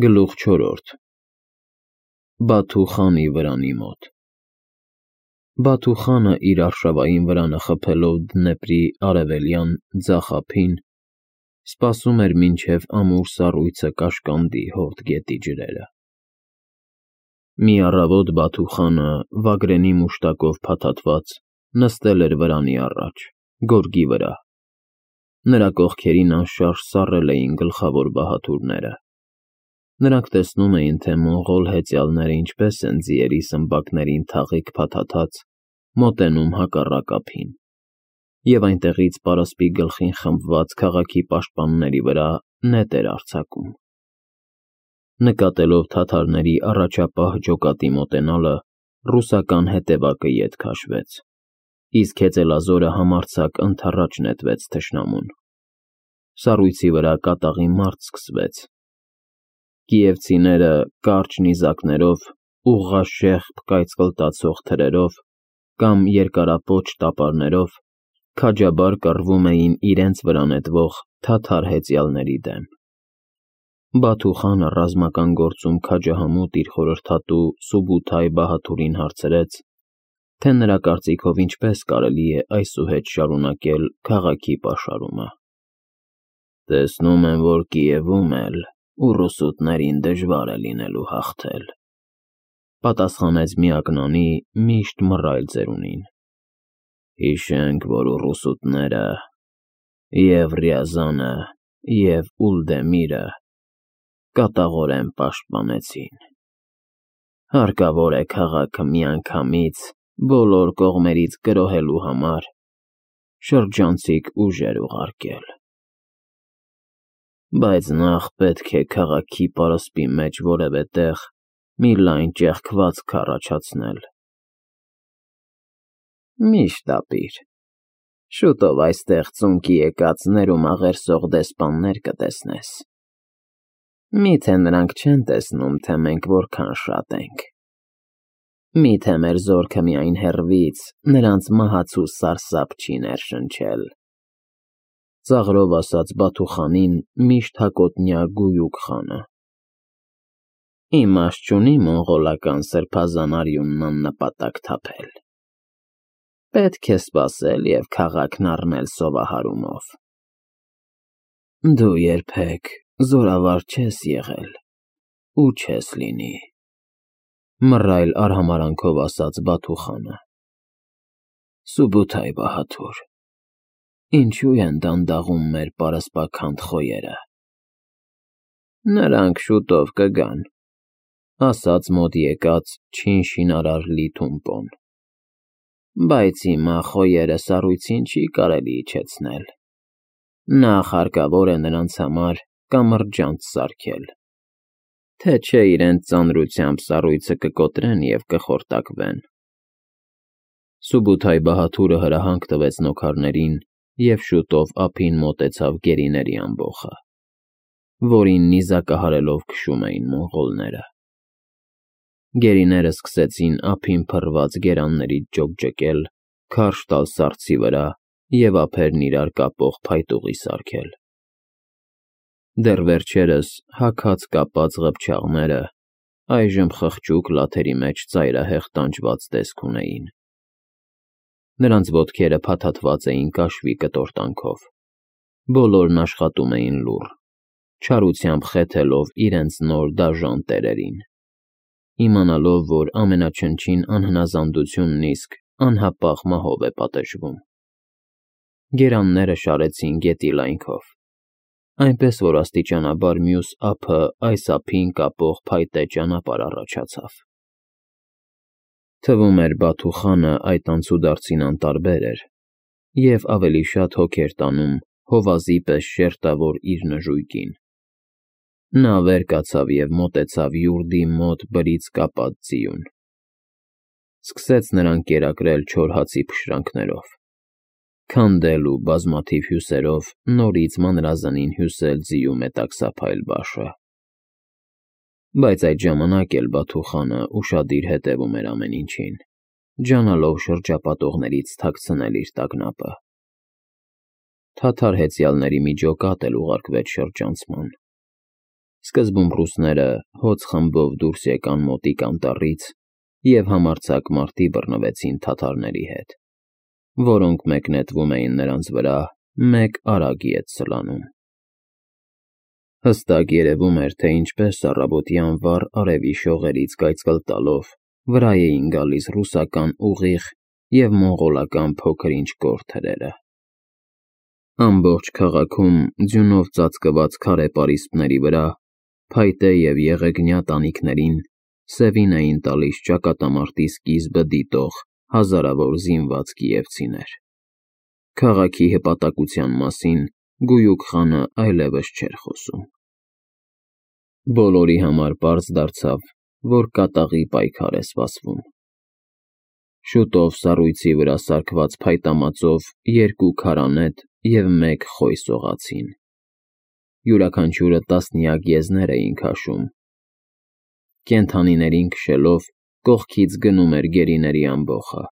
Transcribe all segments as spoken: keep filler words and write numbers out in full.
Գլուխ չորրորդ Բաթու խանի վրանի մոտ Բաթու խանը իր արշավային վրանը խփելով Դնեպրի արևելյան ձախ ափին, սպասում էր մինչև ամուր սառույցը կաշկանդի Հովտ գետի ջրերը։ Մի առավոտ Բաթու խանը, վագրենի մուշտակով փաթաթված, նստել էր վրանի առաջ, գորգի վրա։ Նրա կողքերին անշարժ սառել էին գլխավոր բահաթուրները։ Նրանք տեսնում էին, թե մոնղոլ հեծյալները ինչպես են ձիերի սմբակներին թաղիկ փաթաթած, մոտենում հակառակ ափին, և այնտեղից պարասպի գլխին խմբված քաղաքի պաշտպանների վրա նետ էր արձակում։ Նկատելով թաթարների առաջապահ ջոկատի մոտենալը, ռուսական հետևակը ետ քաշվեց, իսկ հեծելազորը համարձակ ընդառաջ նետվեց թշնամուն։ Սառույցի վրա կատաղի մարտ սկսվեց։ Կիևցիները կարճ նիզակներով, ուղղաշեղբ կայծկլտացող թրերով կամ երկարապոչ տապարներով քաջաբար կռվում էին իրենց վրա նետվող թաթար հեծյալների դեմ։ Բաթու խանը ռազմական գործում քաջահամուտ իր խորհրդատու Սուբութայ բահաթուրին հարցրեց, թե նրա կարծիքով ինչպես կարելի է այսուհետ շարունակել քաղաքի պաշարումը։ Տեսնում եմ, որ Կիևում էլ ու ռուսուտներին դժվար է լինելու հաղթել, պատասխանեց միակնանի, միշտ մռայլ ծերունին։ Հիշենք, որ ռուսուտները և Ռյազանը, և Ուլդեմիրը կատաղորեն պաշտպանեցին։ Հարկավոր է քաղաքը միանգամից բոլոր կողմերից գրոհելու համար շրջանցիկ ուժեր ուղարկել։ Բայց նախ պետք է քաղաքի պարսպի մեջ որևէ տեղ մի լայն ճեղքվածք առաջացնել։ Մի շտապիր, շուտով այստեղ ծունկի եկած ներում աղերսող դեսպաններ կտեսնես։ Մի՞թե նրանք չեն տեսնում, թե մենք որքան շատ ենք։ Մի՞թե մեր զորքը միայն հեռվից նրանց մահացու սարսափ չի ներշնչել։ Ծաղրով ասաց Բաթու խանին միշտ հակոտնյա Գույուկ խանը։ Իմաստ չունի մոնղոլական սրբազան արյունն աննպատակ թափել։ Պետք է սպասել և քաղաքն առնել սովահարումով։ Դու երբեք զորավար չես եղել ու չես լինի, մռայլ արհամարանքով ասաց Բաթու խանը։ Սուբութայ բահաթուր, ինչու են դանդաղում մեր պարսպաքանդ խոյերը։ Նրանք շուտով կգան, ասաց մոտ եկած չին շինարար Լի Թումպոն։ Բայց հիմա խոյերը սառույցին չի կարելի իջեցնել։ Նախ հարկավոր է նրանց համար կամրջանց սարքել, թե չէ իրենց ծանրությամբ սառույցը կկոտրեն և կխորտակվեն։ Սուբութայ բահաթուրը հրահանգ տվեց նոքարներին և շուտով ափին մոտեցավ գերիների ամբոխը, որին նիզակահարելով քշում էին մոնղոլները։ Գերիները սկսեցին ափին փռված գերաններից ջոկջկել, քարշ տալ սառցի վրա և ափերն իրար կապող փայտուղի սարքել։ Դեռ վերջերս հագած կապած ղփչաղները այժմ խղճուկ լաթերի մեջ ծայրահեղ տանջված տեսք ունեին։ Նրանց ոտքերը փաթաթված էին կաշվի կտորտանքով, բոլորն աշխատում էին լուռ, չարությամբ խեթելով իրենց նոր դաժան տերերին, իմանալով, որ ամենաչնչին անհնազանդությունն իսկ անհապաղ մահով է պատժվում։ Գերանները շարեցին գետի լայնքով, այնպես որ աստիճանաբար մյուս ափը այս ափին կապող փայտե ճանապարհ առաջացավ։ Թվում էր Բաթու խանը այդ անցուդարձին անտարբեր էր և ավելի շատ հոգ էր տանում հովազի պես շերտավոր իր նժույգին։ Նա վեր կացավ և մոտեցավ յուրդի մոտ բրից կապած ձիուն։ Սկսեց նրան կերակրել չոր հացի փշրանքներով, քանդել ու բազմաթիվ հյուսերով նորից մանրազնին հյուսել ձիու մետաքսափայլ բաշը։ Բայց այդ ժամանակ էլ Բաթու խանը ուշադիր հետևում էր ամեն ինչին, ջանալով շրջապատողներից թաքցնել իր տագնապը։ Թաթար հեծյալների մի ջոկատ էլ ուղարկվեց շրջանցման։ Սկզբում ռուսները հոծ խմբով դուրս եկան մոտիկ անտառից և համարձակ մարտի բռնվեցին թաթարների հետ, որոնք մեկ նետվում էին նրանց վրա, մեկ արագ ետ սլանում։ Հստակ երևում էր, թե ինչպես առավոտյան վառ արևի շողերից կայծկլ տալով վրա էին գալիս ռուսական ուղիղ և մոնղոլական փոքր-ինչ կոր թրերը։ Ամբողջ քաղաքում ձյունով ծածկված քարե պարիսպների վրա, փայտե և եղեգնյա տանիքներին սևին էին տալիս ճակատամարտի սկիզբը դիտող հազարավոր զինված կիևցիներ։ Քաղաքի հպատակության մասին Գույուկ խանը այլևս չէր խոսում։ Բոլորի համար պարզ դարձավ, որ կատաղի պայքար է սպասվում։ Շուտով սառույցի վրա սարքված փայտամածով երկու քարանետ և մեկ խոյ սողացին։ Յուրաքանչյուրը տասնյակ եզներ էին քաշում։ Կենդանիներին քշելով կողքից գնում էր գերիների ամբոխը,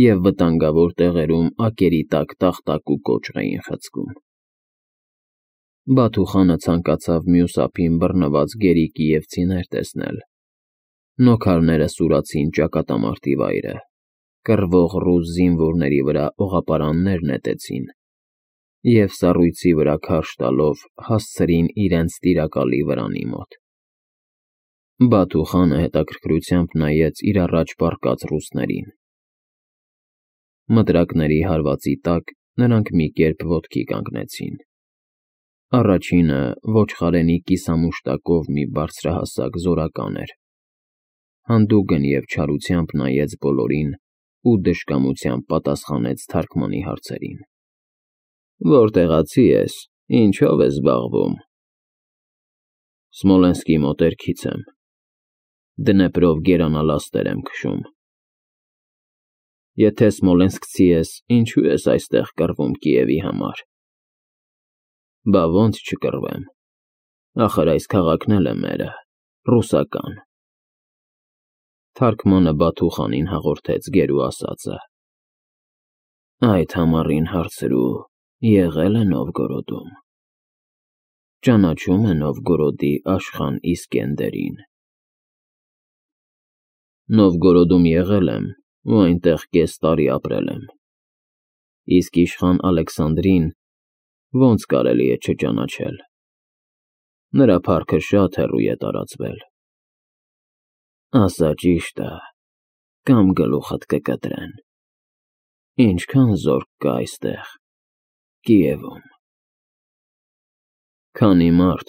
և վտանգավոր տեղերում ակերի տակ տախտակ ու կոճղ էին խցկում։ Բաթու խանը ցանկացավ մյուս ափին բռնված գերի կիևցիներ տեսնել։ Նոքարները սուրացին ճակատամարտի վայրը, կռվող ռուս զինվորների վրա օղապարաններ նետեցին և սառույցի վրա քարշ տալով հասցրին իրենց տիրակալի վրանի մոտ։ Բաթու խանը հետաքրքրությամբ նայեց իր առաջ պառկած ռուսներին։ Մտրակների հարվածի տակ նրանք մի կերպ ոտքի կանգնեցին։ Առաջինը ոչխարենի կիսամուշտակով մի բարձրահասակ զորական էր։ Հանդուգն և չարությամբ նայեց բոլորին ու դժկամությամբ պատասխանեց թարգմանի հարցերին։ Որտեղացի ես, ինչով ես զբաղվում։ Սմոլենսկի մոտերքից եմ։ Դնեպրով գերանալաստեր եմ քշում։ Եթե սմոլենսկցի ես, ինչու ես այստեղ կռվում Կիևի համար։ Բա ոնց չկռվեմ, ախր այս քաղաքն էլ է մերը, ռուսական։ Թարգմանը Բաթու խանին հաղորդեց գերու ասածը։ Այդ համառին հարցրու, եղե՞լ է Նովգորոդում։ Ճանաչո՞ւմ է Նովգորոդի իշխան Իսկենդերին։ Նովգորոդում եղել եմ ու այնտեղ կես տարի ապրել եմ։ Իսկ իշխան Ալեքսանդրին ոնց կարելի է չճանաչել։ Նրա փառքը շատ հեռու է տարածվել։ Ասա ճիշտը, կամ գլուխդ կկտրեն։ Ինչքան զորք կա այստեղ, Կիևում։ Քանի մարդ,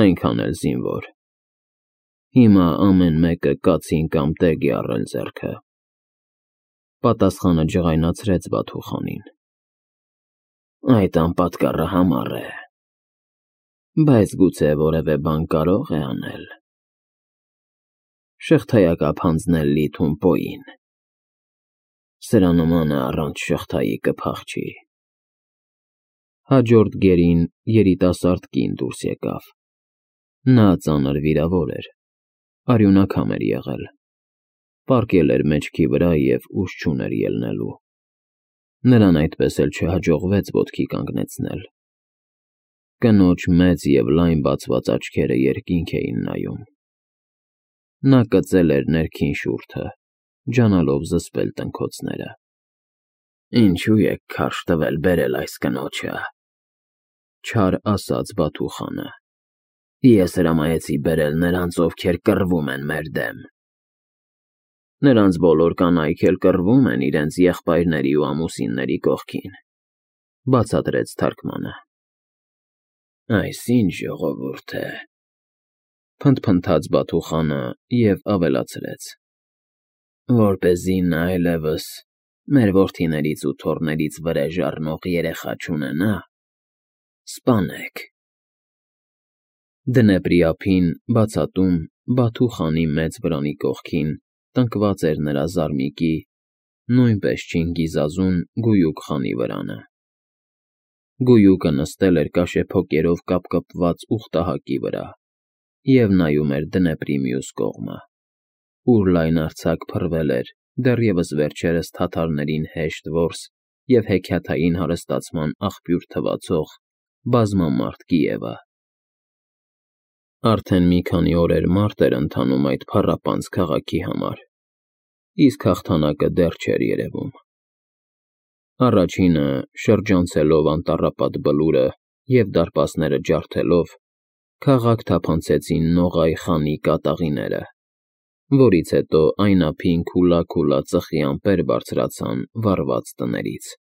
այնքան էլ զինվոր։ Հիմա ամեն մեկը կացին կամ տեգ է առել ձեռքը։ Պատասխանը ջղայնացրեց Բաթու խանին։ Այդ անպատկառը համառ է, բայց գուցե որևէ բան կարող է անել։ Շղթայակապ հանձնել լի Թումպոյին։ Սրա նմանը առանց շղթայի կփախչի։ Հաջորդ գերին երիտասարդ կին դուրս եկավ։ Նա ծանր վիրավոր էր, արյունաքամ էր եղել, պառկել էր մեջքի վրա և ուժ չուներ ելնելու։ Նրան այդպես էլ չհաջողվեց ոտքի կանգնեցնել։ Կնոջ մեծ և լայն բացված աչքերը երկինք էին նայում։ Նա կծել էր ներքին շուրթը, ջանալով զսպել տնքոցները։ Ինչու եք քարշ տվել բերել այս կնոջը, չար ասաց Բաթու խանը։ Ես հրամայեցի բերել նրանց, ովքեր կռվում են մեր դեմ։ Նրանց բոլոր կանայք էլ կռվում են իրենց եղբայրների ու ամուսինների կողքին, բացատրեց թարգմանը։ Այս ինչ ժողովուրդ է, փնթփնթաց Բաթու խանը և ավելացրեց. Որպեսզի նա այլևս մեր որդիներից ու թոռներից վրեժ առնող երեխա չունենա, սպանեք։ Դնեպրի ափին, բացատում, Բաթու խանի մեծ վրանի կողքին տնկված էր նրա զարմիկի, նույնպես Չինգիզազուն Գույուկ խանի վրանը։ Գույուկը նստել էր կաշեփոկերով կապկպված ուխտահակի վրա և նայում էր Դնեպրի մյուս կողմը, ուր լայնարձակ փռվել էր դեռևս վերջերս թաթարներին հեշտ որս և հեքիաթային հարստացման աղբյուր թվացող բազմամարդ Կիևը։ Արդեն մի քանի օրեր մարտ էր ընթանում այդ փառապանծ քաղաքի համար, իսկ հաղթանակը դեռ չէր երևում։ Առաջինը, շրջանցելով անտառապատ Բլուրը և դարպասները ջարդելով, քաղաք թափանցեցին Նողայ խանի կատաղիները, որից հետո այն ափին քուլա-քուլա ծխի ամպեր բարձրացան վառված տներից։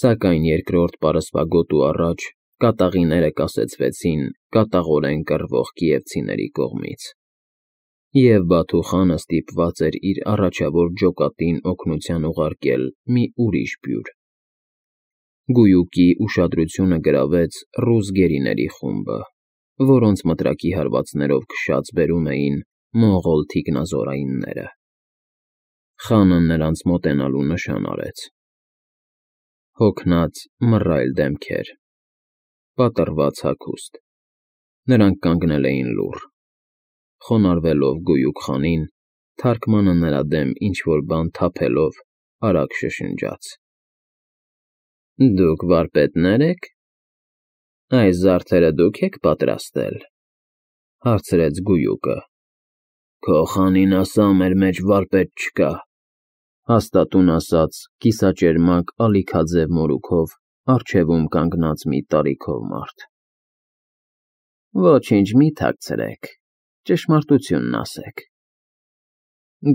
Սակայն երկրորդ պարսպագոտու առաջ կատաղիները կասեցվեցին կատաղորեն կռվող կիևցիների կողմից, և Բաթու խանը ստիպված էր իր առաջավոր ջոկատին օգնության ուղարկել մի ուրիշ բյուր։ Գույուկի ուշադրությունը գրավեց ռուս գերիների խումբը, որոնց մտրակի հարվածներով քշած բերում էին մոնղոլ թիկնազորայինները։ Խանը նրանց մոտենալու նշան արեց։ Հոգնած, մռայլ դեմքեր, պատռված հագուստ, նրանք կանգնել էին լուռ, խոնարհվելով գույուկ խանին, թարգմանը նրա դեմ ինչ֊որ բան թափելով, արագ շշնջաց. «Դուք վարպետնե՞ր եք։ Այս զարդերը դուք եք պատրաստել», ֊ հարցրեց գույուկը։ «Քո խանին ասա մեր մեջ վարպետ չկա», ֊ հաստատուն ասաց կիսաճերմակ ալիքաձև մորուքով առջևում կանգնած մի տարիքով մարդ։ «Ոչինչ մի թաքցրեք, ճշմարտությունն ասեք։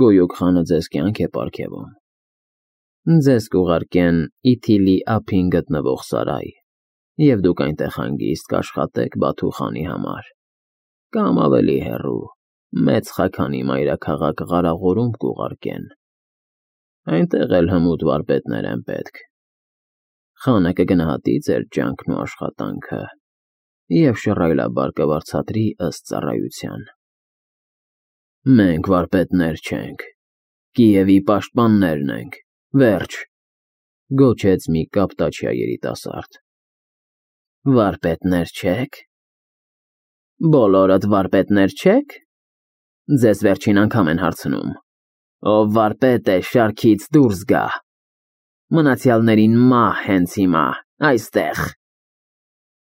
Գույուկ խանը ձեզ կյանք է պարգևում։ Ձեզ կուղարկեն Իթիլի ափին գտնվող սարայ, և դուք այնտեղ հանգիստ կաշխատեք Բաթու խանի համար, կամ ավելի հեռու, մեծ խաքանի մայրաքաղաք Ղարաղորում կուղարկեն, այնտեղ էլ հմուտ վարպետներ են պետք։ Խանը կգնահատի ձեր ջանքն ու աշխատանքը և շռայլաբար կվարձատրի ըստ ծառայության։ Մենք վարպետներ չենք, Կիևի պաշտպաններն ենք, վերջ, ֊ գոչեց մի կապտաչյա երիտասարդ։ Վարպետներ չե՞ք։ Բոլորդ վարպետներ չե՞ք։ Ձեզ վերջին անգամ են հարցնում, ով վարպետ է շարքից դուրս գա։ Մնացյալներին մահ հենց հիմա, այստեղ, ֊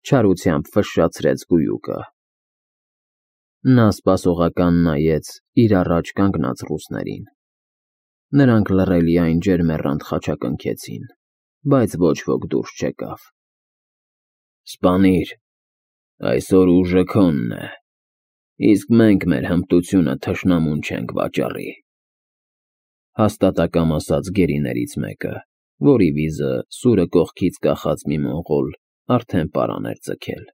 չարությամբ ֆշշացրեց գույուկը։ Նա սպասողական նայեց իր առաջ կանգնած ռուսներին։ Նրանք լռելիայն ջերմեռանդ խաչակնքեցին, բայց ոչ ոք դուրս չեկավ։ Սպանիր, այսօր ուժը քոնն է, իսկ մենք մեր հմտությունը թշնամուն չենք վաճառի, ֊ հաստատակամ ասաց գերիներից մեկը, որի վիզը սուրը կողքից կախած մի մոնղոլ արդեն պարան էր ձգել։